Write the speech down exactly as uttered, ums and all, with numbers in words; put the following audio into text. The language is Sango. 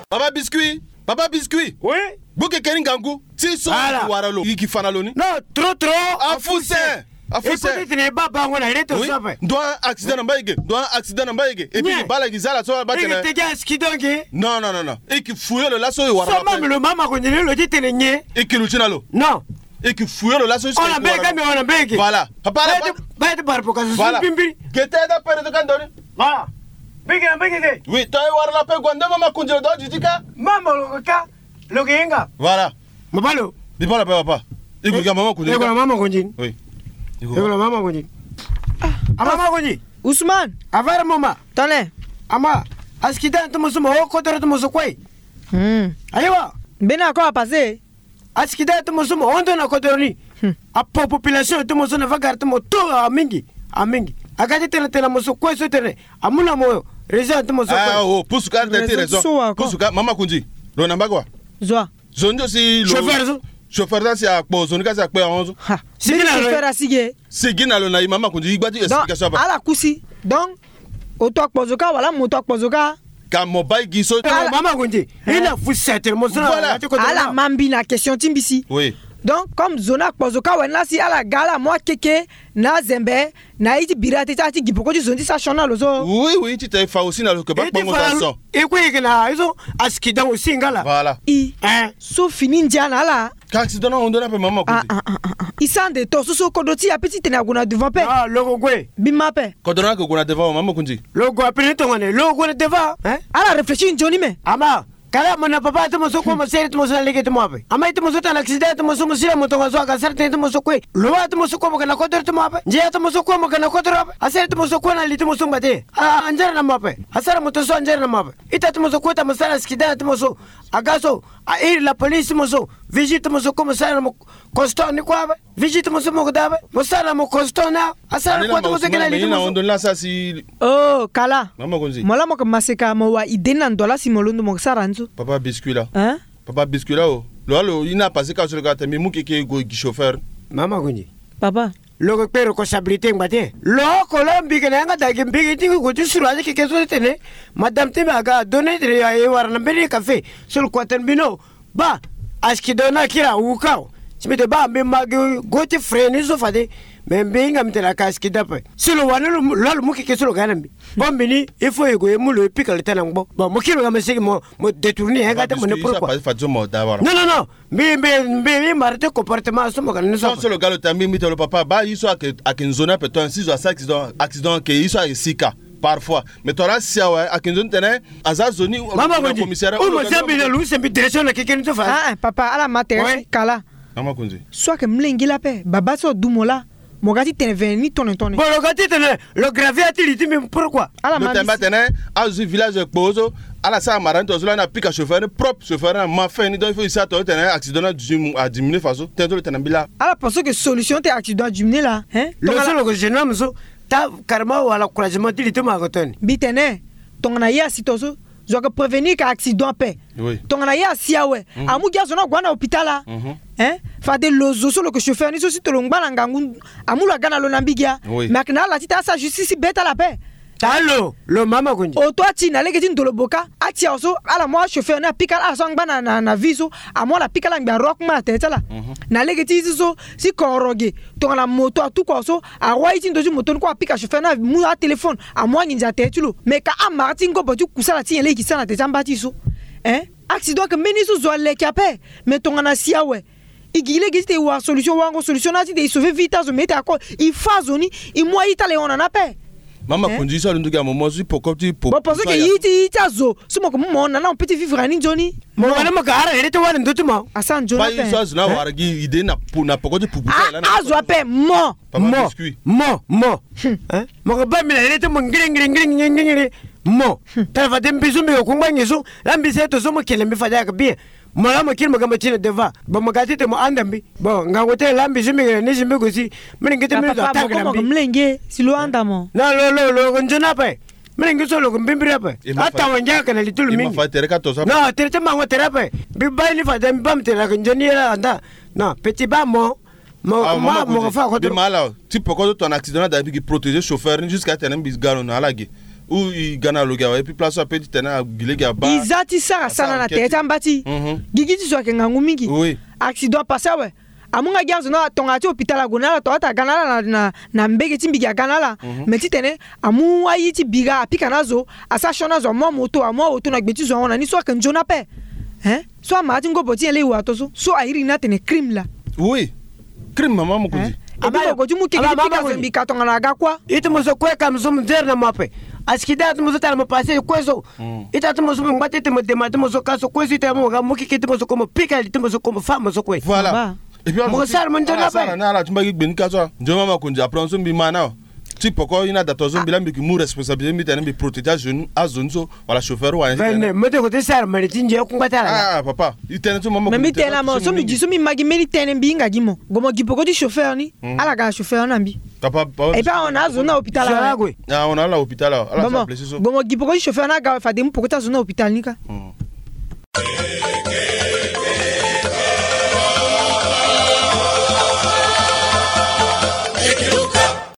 Papa Biscuit, Papa Biscuit. Oui. Buke keni ngangu. Ti so. Voilà. Wara lo. Yiki fana lo ni. Non, trop trop. Afuse. Afuse. Afuse. Peut-être ne ba bango na leto. Oui. Sape. Ndo accident na mbayege. Ndo accident na mbayege. Et puis nye. Bala ki zala so ba tene. Eke tege aski donc. Non, non, non, non. Eke fouiller lo laso e wara. So lo mama lo mama ko ndele lo ti tene nye. Eke lo ti na lo. Non. Eke fouiller lo laso. Ona mbege mi ona mbege. Voilà. Papa la. Ba ti barpo ka so. Voilà. Pimbiri. Gete da pere to kandori. Voilà. Mbege na mbege ke. Oui, to e wara la pe gwande mama kunjilo do jijika. Mama lo ka. Lo ke yenga. Voilà. Mabalo. Di pala pe papa. Iko ka mama kunjilo. Iko na mama kunjin. Oui. Iko na mama kunjin. A mama kunjin. Ousmane. Avara mama. Tone. Ama. Aski dan to mo so mo o kodoro to mo so kue. Hmm. Ayiwa. Mbeni ako apase. Aski dan to mo so mo ondo na kodoro ni. Hmm. Apo population to mo so na vagar to mo to amingi. Amingi. Aga ti tene tene mo so kue so tene. Amu na mo raison to mo so kue. Ah, oh, pusu ka tene raison. Pusu ka mama kunji. Lo na mbagua. Zwa. Zo ndio si lo. Chauffeur zo. Chauffeur za si akpo zo ni ka si akpo ya honzo. Ha. Sigi na lo. Chauffeur asigi. Sigi na lo na i mama kunji i gba ti explication apa. Ala kusi. Donc oto akpo zo ka wala moto akpo zo ka. Ka mo bai gi so. Mama kunji. I na fu setel mo so na. Voilà. Ala ma mbi na question ti mbi si. Oui. Donc comme zo na akpo zo ka wani la si ala ga ala mo akeke na azembe. Na i ti biri ate ti a ti gi poko ti zo ni ti sa sioni na lo so. Oui oui ti te fa aussi na lo ke ba kpongo sa so. E kue e ke na e so. Aski dan aussi nga la. Voilà. I. Hein. So fini ndia na ala. Ka accident na hondo na pe mama kundi. I sa nde to so so kodo ti ape ti tene ague na devant pe. Ah lo ko gue. Bi ma pe. Kodo na ke gue na devant mama kundi. Lo gue ape ni tongane lo gue na devant. Hein. Ala réfléchir nzoni me. Ama. Kala mo na papa ti mo so kue mo sere ti mo so na lege ti mo ape. Ama ye ti mo so tana accident ti mo so mo sila mo tongaso aga sara tënë ti mo so kue. Lo wa ti mo so kue mo ga na kodoro ti mo ape. Ndia ti mo so kue mo ga na kodoro ape. Asere ti mo so kue na li ti mo so ngba te. Anzere na mo ape. Asara mo to so anzere na mo ape. Ita ti mo so kue ta mo sara accident ti mo so. Aga so a iri la police ti mo so. Visite ti mo so kue mo sara na mo. Constant ni kue ape. Visite mo so mo ko da ape. Mo sara na mo constant na. Asara kue ti mo so kena li ti mo so. Oh kala. Mo la mo ko maseka mo wa idée na ndo la si mo londo mo ko sara ni so. Papa biscuit la. Hein? Papa biscuit la o. Lo alo i na passé ka so lo ka te mbi mu keke go gi chauffeur. Mama gunji. Papa. Lo ko kpe responsabilité ngba te. Lo ko lo mbi ke na yanga dagi mbi ke ti go ti suru aze keke so tene. Madame ti mbi aga donné tene ya e wara na mbeni café. So lo kua tene mbi no. Ba. Aski do na kira wuka o. Si mbi te ba mbi ma gi go ti frais ni so fade. Mais mbi hinga mbi tene aka aski dape. Si lo wani lo lo lo mu keke so lo ga na mbi. Bon mbi ni il faut e go e mu lo e pika lo tene ngbo. Bon mo kiri lo ga mo sigi mo mo détourner he ga te mo ne pourquoi. Non non non. Mbi mbi mbi mbi mara te comportement so mo ga ni so. So lo ga lo ta mbi mbi te lo papa ba yi so ake ake nzoni ape to si zo asa accident accident ke yi so ake sika. Parfois mais to la si awe ake nzoni tene. Aza zo ni. Mama ko di. Commissariat o mo zambi na lu se mbi direction na keke ni so fa. Ah papa ala ma tere si kala. Mama ko di. So ake mlengi la pe baba so du mo la. Mo ga ti tene vene ni tone tone. Bon lo ga ti tene. Lo gravier ati li ti mbi pourquoi? Ala ma mbi si. Lo tene ba tene. Azo village kpo so. Ala sara mara ni to so la na pika chauffeur ni propre chauffeur na ma fin ni donc il faut i sa to tene accident na diminuer faso tene to lo tene mbi la. Ala pense que solution te accident a diminuer la hein. Lo so lo ko jeune homme so. Ta carrément wala couragement ti li ti ma ko toni. Mbi tene. Tongana ye asi to so. Zo ake prévenir ka accident pe. Tongana ye asi awe. Amu gi azo ni ague na hôpital la. Hein? Fade lo zo so lo ke chauffeur ni so si to lo ngba na ngangu. Amu lo aga na lo na mbi gi a. Mais ake na ala ti ta asa justice ti be ti ala pe. Alo lo mama kundi. Oto ati na lege ti ndolo boka. Ati awe so ala mu achauffeur ni apika ala so angba na na na vie so. Amu ala pika ala ngbi arok ma na tere ti ala. Na lege ti isi so si koro ge. Tongana moto atuku awe so. Aroi ti ndo ti moto ni kue apika chauffeur ni amu atéléphone. Amu anginza tere ti lo mais ka amara ti ngobo ti kusala ti nyen lege gi sara na tere ti amba ti so. Hein? Accident ke mbeni so zo aleke ape. Mais tongana si awe. I gi lege ti te i wara solution wango solution na ti te i sauver vie ti azo mais i te ako. I fa azo ni. I mu ayi ti ala i hon na ni ape. Mama konzi so alondo gi amomo so ti poko ti poko. Bon parce que i ti i ti azo so mo ko mu mo hon na ni ape ti vivre na ni nzoni. Mo wala mo ka ara here ti wara ndo ti mo. Asa nzoni ape. Ba i so azo na wara gi ide na poko ti pupu ti ala na azo ape mo. Mo mo mo. Mo ko ba mbi na here ti mo ngiri ngiri ngiri ngiri ngiri. Mo tara fade mbi so mbi ko kungba ngi so. La mbi se to so mo kele mbi fade aka bien. Mo la mo kiri mo ga mo ti na deva. Bon mo ga ti te mo anda mbi. Bon ngangu te la mbi so mbi ga na ni si mbi go si. Mbi lingi ti mbi zo atanga na mbi. Mlenge si lo anda mo. Na lo lo lo ko nzoni ape. Mbi lingi so lo ko mbimbiri ape. Atawa ngia ka na li ti lo mingi. Non tere ti mango tere ape. Mbi ba ni fade mbi ba mo tere aka nzoni ye la anda. Non petit ba mo. Mo ma mo fa ko tro. Mala ti poko so tongana accident na da mbi gi protéger chauffeur ni jusqu'à tene mbi ga lo na ala ge. Ou i ga na lo ge awe, et puis place so ape ti tene agbi lege aba. I za ti sara sana na tere ti amba ti. Gigi ti zo ayeke ngangu mingi. Accident apassé awe. Amu nga gi azo na ala tongana ti hôpital ague na ala, tongana ti aga na ala na mbege ti mbi gi aga na ala. Mais ti tene amu aye ti bira apika na azo, asara sioni azo, amu amoto, amu aoto na gbe ti zo ahon na ni so ayeke nzoni ape. Hein? So amara ti ngobo ti nyen laa e wa to so so airi ni atene crime laa. Oui. Crime mama mokonzi. Ebi mo go ti mu keke ti pika zo mbi ka tongana aga kuâ. Ite mo so kue ka mo so mo nzere na mo ape. Asiki da ti mo so tala mo passé kue so. Ita ti mo so mo ngba ti ite mo dema ti mo so ka so kue so ite mo ga mu keke ti mo so kue mo pika li ti mo so kue mo fa mo so kue. Voilà. Mo sara mo nzoni ape. Ala ti mbagi gbe ni ka so nzoni mama mokonzi après so mbi ma na. Ti poko i na da to so mbi laa mbi yeke mu responsabilité mbi tene mbi protéger azo ni, azo ni so wala chauffeur wala ni tene. Mbi tene ko ti sara mani ti ndia kungba ti ala. Ah papa, i tene so mama. Mais mbi tene na mo so mbi gi so mbi ma gi mbeni tënë mbi hinga gi mo. Gue mo gi poko ti chauffeur ni. Ala ga na chauffeur ni na mbi. Papa, papa. Et puis ahon na azo ni na hôpital awe. Ah, ahon na ala hôpital awe. Ala sa blessé so. Gue mo gi poko ti chauffeur ni aga awe fade mu poko ti azo ni na hôpital ni ka.